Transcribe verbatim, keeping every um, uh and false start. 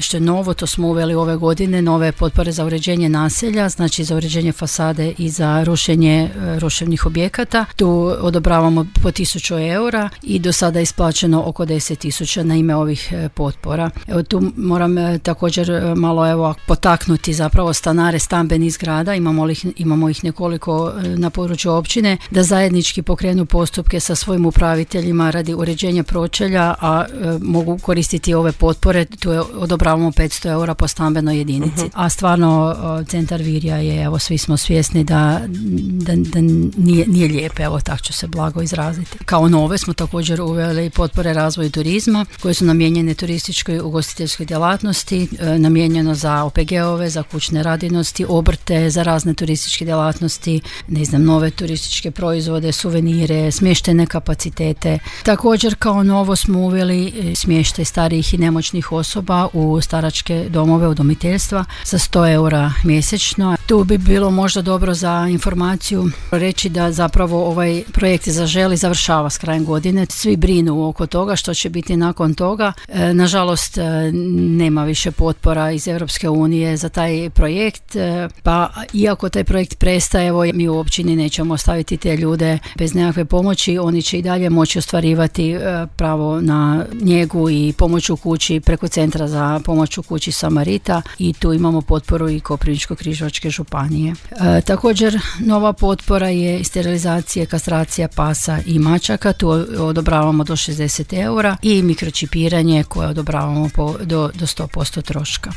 što je novo, to smo uveli ove godine, nove potpore za uređenje naselja, znači za uređenje fasade i za rušenje ruševnih objekata. Tu odobravamo po tisuću eura i do sada je isplaćeno oko deset tisuća na ime ovih potpora. Evo tu moram također malo evo potaknuti zapravo stanare stambenih zgrada, imamo ih, imamo ih nekoliko na području općine, da zajednički pokrenu postupke sa svojim upraviteljima radi uređenja pročelja, a e, mogu koristiti ove potpore. Tu je, odobravamo petsto eura po stambenoj jedinici. Uh-huh. A stvarno centar Virja je, evo svi smo svjesni da, da, da nije, nije lijepe, evo tako ću se blago izraziti. Kao nove smo također uveli potpore razvoju turizma koje su namijenjene turističkoj ugostiteljskoj djelatnosti, e, namijenjeno za O P G-ove, za kućne radinosti, obrte, za razne turističke djelatnosti, ne znam, nove turističke proizvode, suvenire, smještene kapacitete. Također kao novo smo uveli smještaj starijih i nemoćnih osoba u staračke domove, udomiteljstva za sto eura mjesečno. Tu bi bilo možda dobro za informaciju reći da zapravo ovaj projekt Zaželi završava s krajem godine. Svi brinu oko toga što će biti nakon toga. E, nažalost, nema više potpora iz Europske unije za taj projekt, e, pa iako taj projekt prestaje, evo mi u općini nećemo ostaviti te ljude bez nekakve pomoći, oni će i dalje moći ostvarivati e, pravo na njegu i pomoć u kući preko Centra za pomoć u kući Samarita i tu imamo potporu i Koprivničko-križevačke županije. E, također nova potpora je sterilizacija, kastracija pasa i mačaka, tu odobravamo do šezdeset eura i mikročipiranje koje odobravamo po, do, do sto posto troška.